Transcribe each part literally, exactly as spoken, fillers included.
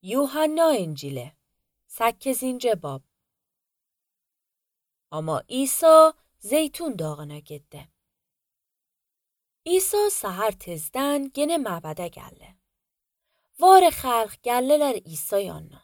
Yuhanna İncili sekizinci bab. Ama İsa zeytun dağına gitti. İsa sahar tezden gene məbədə gəldi. Var xalq gəlirlər İsa yanına.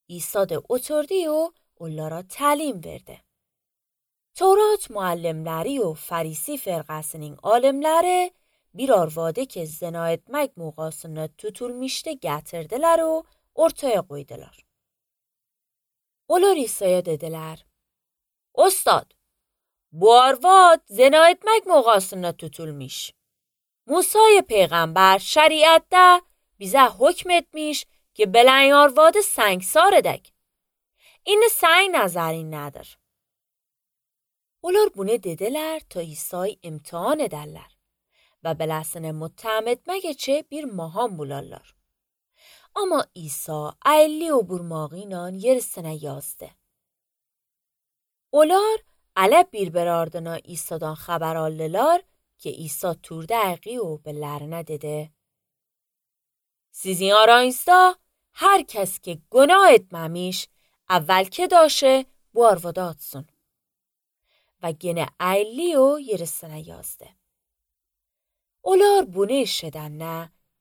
İsa da oturdu و onlara təlim verdi. Tevrat müəllimləri و Farisi firqəsinin alimləri bir arvadı ki zina etmək muğasını tutulmuşdu gətirdilər و ortaya qoydular. Onlar İsa'ya dediler: Ustad, bu arvad zina etmek muğasına tutulmuş. Musa peygamber şeriatte bize hükmetmiş ki belen arvadı سنگسار edek. این سعی نظری nedir? Onlar bunu dediler ta İsa'yı imtihan ederler ve belasını mutteham etmek için bir maham bularlar. Ama İsa əyilli o burmağıyla yerisine yazdı. Onlar ələ bir-bir ardına İsa'dan xəbər aldılar ki İsa turda əqi o bellərinə dedi: Sizin aranızda hər kəs ki günah etməmiş, əvvəl ki daşı bu arvadı atsın. Və genə əyilli o yerisine yazdı. Onlar bunu eşidəndə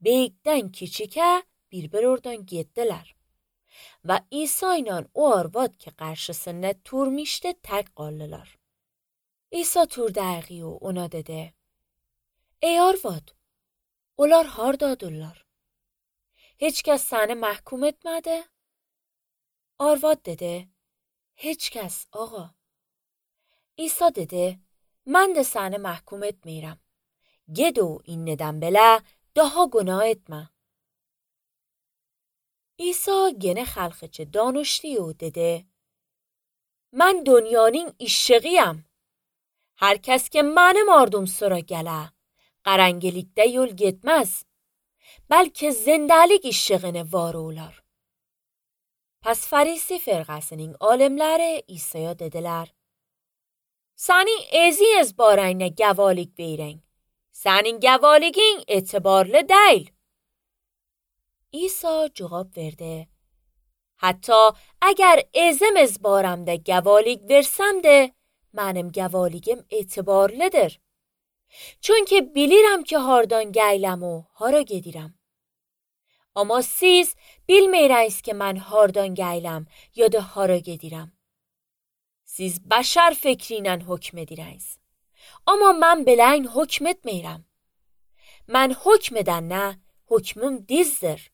böyükdən kiçikə bir-bir oradan getdilər. Və İsa ilə o arvad ki qarşısında turmuşdu tək qaldılar. İsa turda əqi o ona dedi: Ey arvad, onlar hardadırlar? Heç kəs səni məhkum etmədi? Arvad dedi: Heç kəs ağa. İsa dedi: Mən də səni məhkum etmirəm. Ged o innədən belə daha günah etmə. İsa gene xalqıcı danışdı و dedi: Mən dünyanın işığıyam. Hər kəs ki mənim ardım sıra gələ, qarangilikdə yol getməz, bəlkə zindəlik işığını var olar. Pes Farisi firqəsinin alimləri İsa'ya dediler: Sənin ezi ezbarayına gəvalik verin. Sənin gəvalikin etibarlı deyil. İsa cevap verdi: Hatta eğer ezem ezbaramda gəvalik versem de mənim gəvaligim etibarlıdır. Çünkü bilirəm ki hardan gəyləm o hara gedirəm. Ama siz bilmeyiniz ki mən hardan gəyləm ya da hara gedirəm. Siz bəşər fikrinlə hükm edirsiniz. Ama mən beləyin hükm etmirəm. Mən hükm edəndə hükmüm dizdir.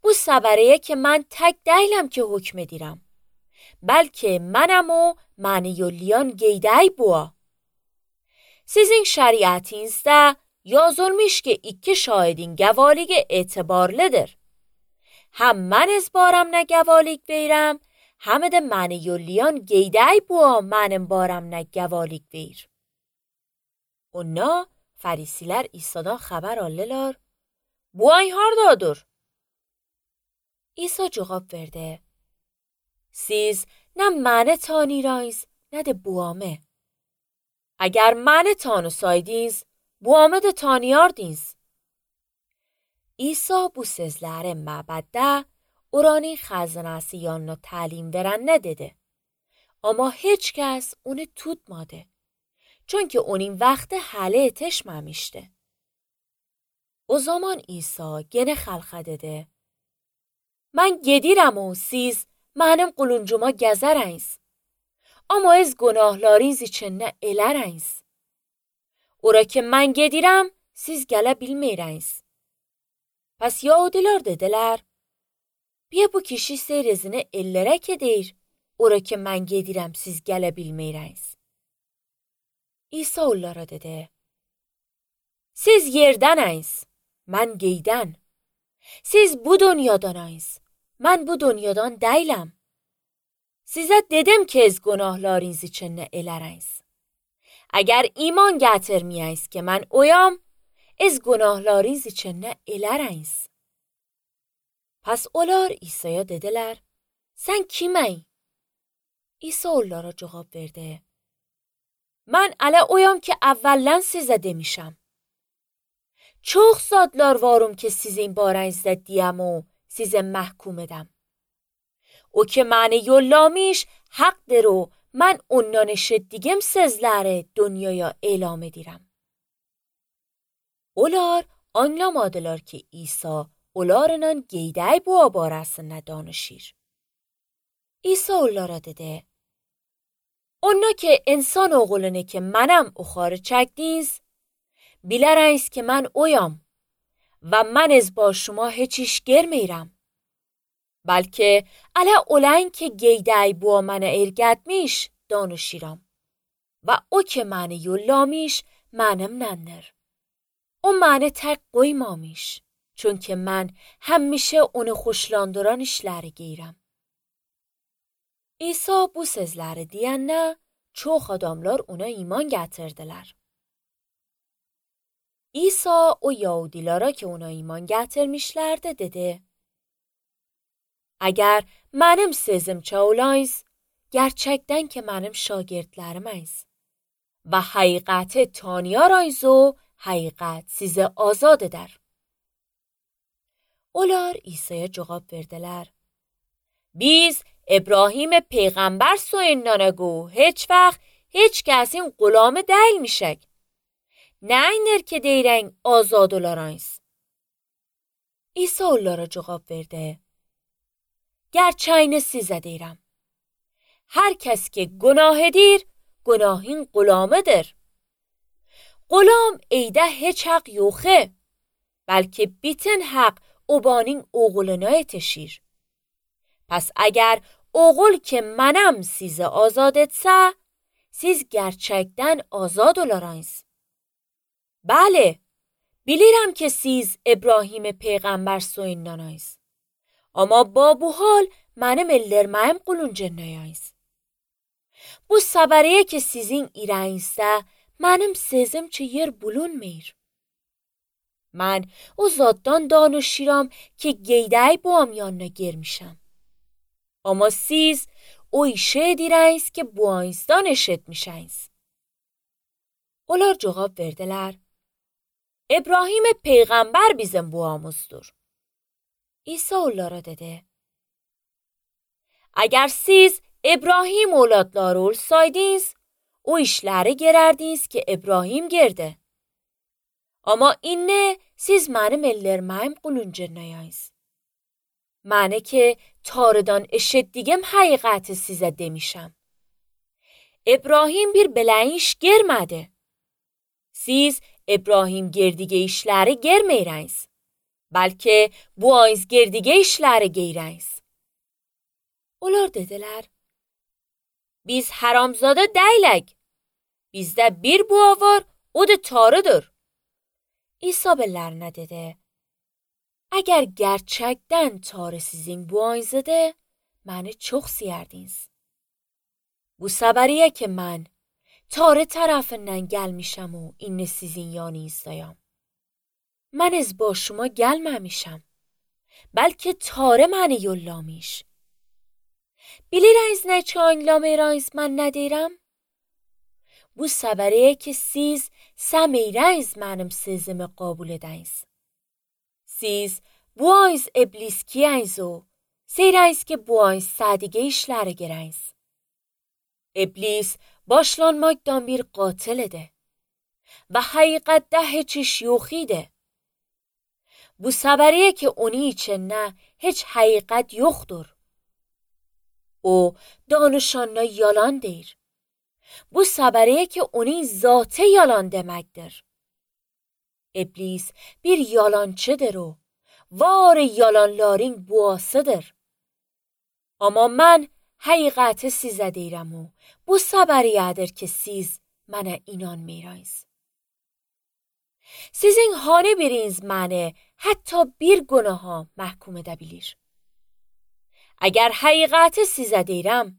Bu səbəriyə ki mən tək deyiləm ki hükm edirəm. Bəlkə mənəm o məni yollayan qeydəy bua. Sizin şəriətinizdə yazılmış ki iki şahidin gəvaligi etibarlıdır. Həm mən ezbaramla gəvalik verirəm, həm də məni yollayan qeydəy bua mənim baramla gəvalik verir. Onlar Farisilər İsa'dan xəbər aldılar: Bu ay hardadır? İsa cevap verdi: Siz ne məni tanıyırsınız ne de buamı. Eğer məni tanısaydınız, buamı da tanıyardınız. İsa bu sözləri məbəddə oranın xəzinəsi yanına təlim verəndə dedi. Ama heç kəs onu tutmadı. Çünkü onun vaxtı hələ yetişməmişdi. O zaman İsa gene xalqa dedi: Mən gedirəm o siz mənim quluncuma gəzərəniz. Amma ez günahlarınız üçün nə elərəniz. Ora ki mən gedirəm, siz gələ bilməyəniz. Pes Yahudiler dediler: Bia bu kişi seyrizini ellərək edir. Ora ki mən gedirəm, siz gələ bilməyəniz. İsa onlara dedi: Siz yerdəniz, mən geydən. Siz bu dünyadanayız, mən bu dünyadan deyiləm. Sizə dedim ki ez günahlarınız üçün nə elərəniz. Əgər iman gətirməyəniz ki mən oyam, ez günahlarınız üçün nə elərəniz. Pes onlar İsa'ya dediler: Sen kimey? İsa onlara cevap verdi: Mən ələ oyam ki əvvələn sizə demişəm. Çox zadlar varım ki sizin barənizdə deyəm o size mahkum edem. O ki mani yollamış haqdır o ben ondan eşitdigim sizlere dünyaya elam edirem. Olar anlamadılar ki İsa olarının geyday bu barasında danışır. İsa onlara dedi: Ona ki insan oğlunu ki منم اخاره çekdiniz, bilərəniz ki mən oyam و من از با شما هیچیش گرمیرم. بلکه الا اولین که گیدای بو من ارگدمیش دانشیرم و او که من یولامیش منم ننر. او من تق qoymamış. Çünkü mən həmişə onu xoşlandıran işləri geyirəm. İsa bu sözləri deyəndə çox adamlar ona iman gətirdilər. İsa o Yahudilara ki ona iman gətirmişlərdi dedi: Əgər mənim sözümçə olayız, gerçəkdən ki mənim şagirdləriməyiz və həqiqəti tanıyarayız o həqiqət sizi azad edər. Onlar İsa'ya cavab verdilər: Biz İbrahim peyğəmbər soyundan gو heç vaxt heç kəsin qulamı deyilmişək. Nə inir ki deyirən azad olarayız? İsa onlara cavab verdi: Gerçəyini sizə deyirəm. Hər kəs ki günah edir, günahın qulamıdır. Qulam eydə heç haq yoxu, bəlkə bütün haq obanın oğluna yetişir. Pes əgər oğul ki mənəm sizi azad etsə, siz gerçəkdən azad olarayız. Bəli, bilirəm ki siz İbrahim peyğəmbər soyundanayız. Ama ba bu hal mənim ellərməyim quluncanayız. Bu səbəriyə ki sizin irəyinizdə mənim sözüm çi yer bulunmir. Mən o zaddan danışıram ki geyday bu amyanına girmişəm. Ama siz o işe edirəyiz ki bu ayızdan eşitmişəyiz. Onlar cavab verdilər: İbrahim peyğəmbər bizim buamızdır. İsa onlara dedi: Əgər siz İbrahim oğladları olsaydınız, o işləri gerərdiniz ki İbrahim gerdi. Ama inne siz mənim ellərməyim quluncanayız. Mənə ki tarıdan eşitdigim həqiqəti sizə demişəm. İbrahim bir belə iş germədi. Siz İbrahim gerdige işləri germəyirəyiz. Bəlkə bu ayız gerdige işləri geyirəyiz. Onlar dedilər: Biz haramzada deyilək. Bizdə bir bua var, o da tarıdır. İsa bellərinə dedi: Əgər gerçəkdən tarı sizin buayızıdır, məni çox siyərdiniz. Bu səbəriyə ki mən tarı tərəfindən gəlmişəm o inni sizin yanınızdayam. Mən az با şuma gəlməmişəm. Bəlkə tarı məni yollamış. Bilirəyiz nə ki anlamırayız mən nə deyirəm? Bu səbəriyə ki siz səmirəyiz mənim sözümü qəbul edəyiz. Siz bu ayız ibliskiyəyiz o, seyrəyiz ki bu ayız sədiqə işləri gerəyiz. İblis başlanmaqdan bir qatilidir və həqiqətdə heç iş yox idi. Bu səbəriyə ki onun içində heç həqiqət yoxdur. O danışanına yalan deyir. Bu səbəriyə ki onun zatı yalan deməkdir. İblis bir yalancıdır o. Var yalanların buasıdır. Amma mən həqiqəti sizə deyirəm o. Bu səbəriyədir ki siz mənə inanmıyrayız. Sizin hanı biriniz məni hətta bir günaha məhkum edə bilir. Əgər həqiqəti sizə deyirəm,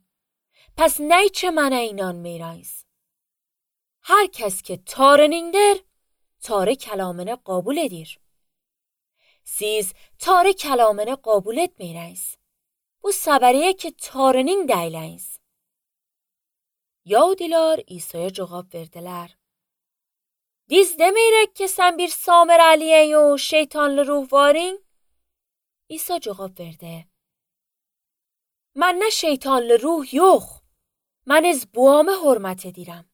pes nə üçün mənə inanmıyrayız? Hər kəs ki tarınındır, tarı kəlamını qəbul edir. Siz tarı kəlamını qəbul etməyirəyiz. Bu səbəriyə ki tarının deyiləyiz. Yahudiler İsa'ya cevap verdiler: Biz demeyerek ki sen bir Samiralıyen o şeytanlı ruh varin? İsa cevap verdi. Mən nə şeytanlı ruh yox. Mən ez buamı hörmət edirəm.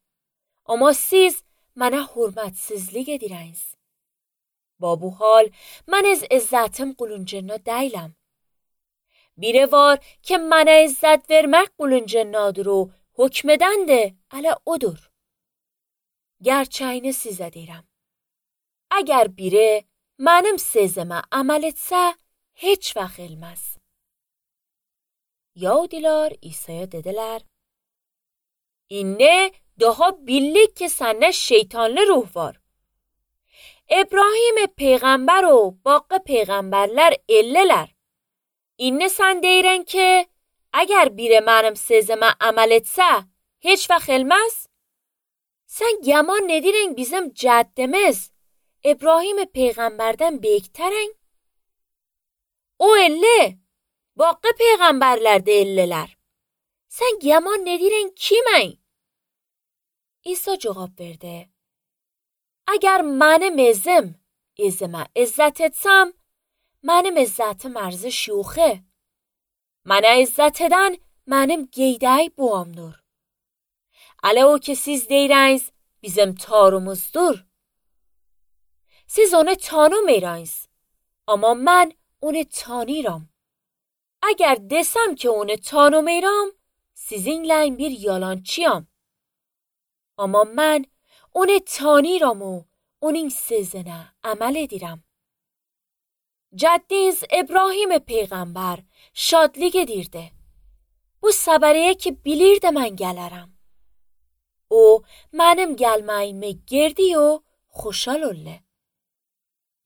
Amma siz mənə hörmətsizlik edirəniz. Ba bu hal mən ez izzətim quluncuğuna deyiləm. Biri var ki mənə izzət vermək quluncuğunadır o hükmedəndir, ələ odur. Gerçəyini sizə deyirəm. Əgər biri mənim sözümə əməl etsə, heç vaxt elməz. Yahudilər İsa'ya dedilər, İnne daha bildik ki səndə şeytanlı ruh var. İbrahim peyğəmbər o baqqı peyğəmbərlər ellələr. İnne sən deyirən ki, əgər biri mənim sözümə əməl etsə, heç vaxt elməz? Sən yaman nedirən bizim cəddimiz İbrahim peyğəmbərdən beyiktərən? O elli, baqqı peyğəmbərlər də ellələr. Sən yaman nedirən kimən? İsa cavab verdi. Əgər mənim ezim, ezimə izzət etsəm, mənim izzətim ərziş yoxu. Mənə izzət edən mənim qeydəy buamdır. Ələ o ki siz deyirəniz, bizim tarımızdır. Siz onu tanımırsınız, amma mən onu tanıyıram. Əgər desəm ki onu tanımıram, sizinlə bir yalançıyam. Amma mən onu tanıyıram o, onun sözünə əməl edirəm. Cəddiniz İbrahim peyğəmbər şadlıq edirdi. Bu səbəriyə ki bilirdi mən gələrəm. O, mənim gəlməyimi girdi o, xoşal oldu.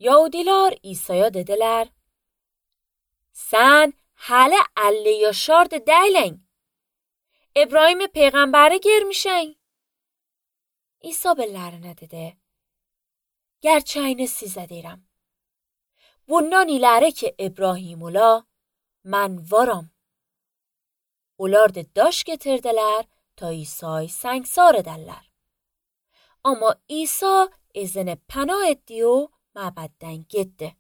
Yahudilər İsa'ya dedilər, sən hələ əlli yaşardı deyilən. İbrahim peyğəmbəri görmüşsən. İsa bellərinə dedi, gerçəyini sizə deyirəm. Bundan iləri ki İbrahim ola, mən varam. Onlar da daş getirdilər ta İsa'yı səngsar edərlər. Amma İsa izini pənah etdi o məbəddən getdi.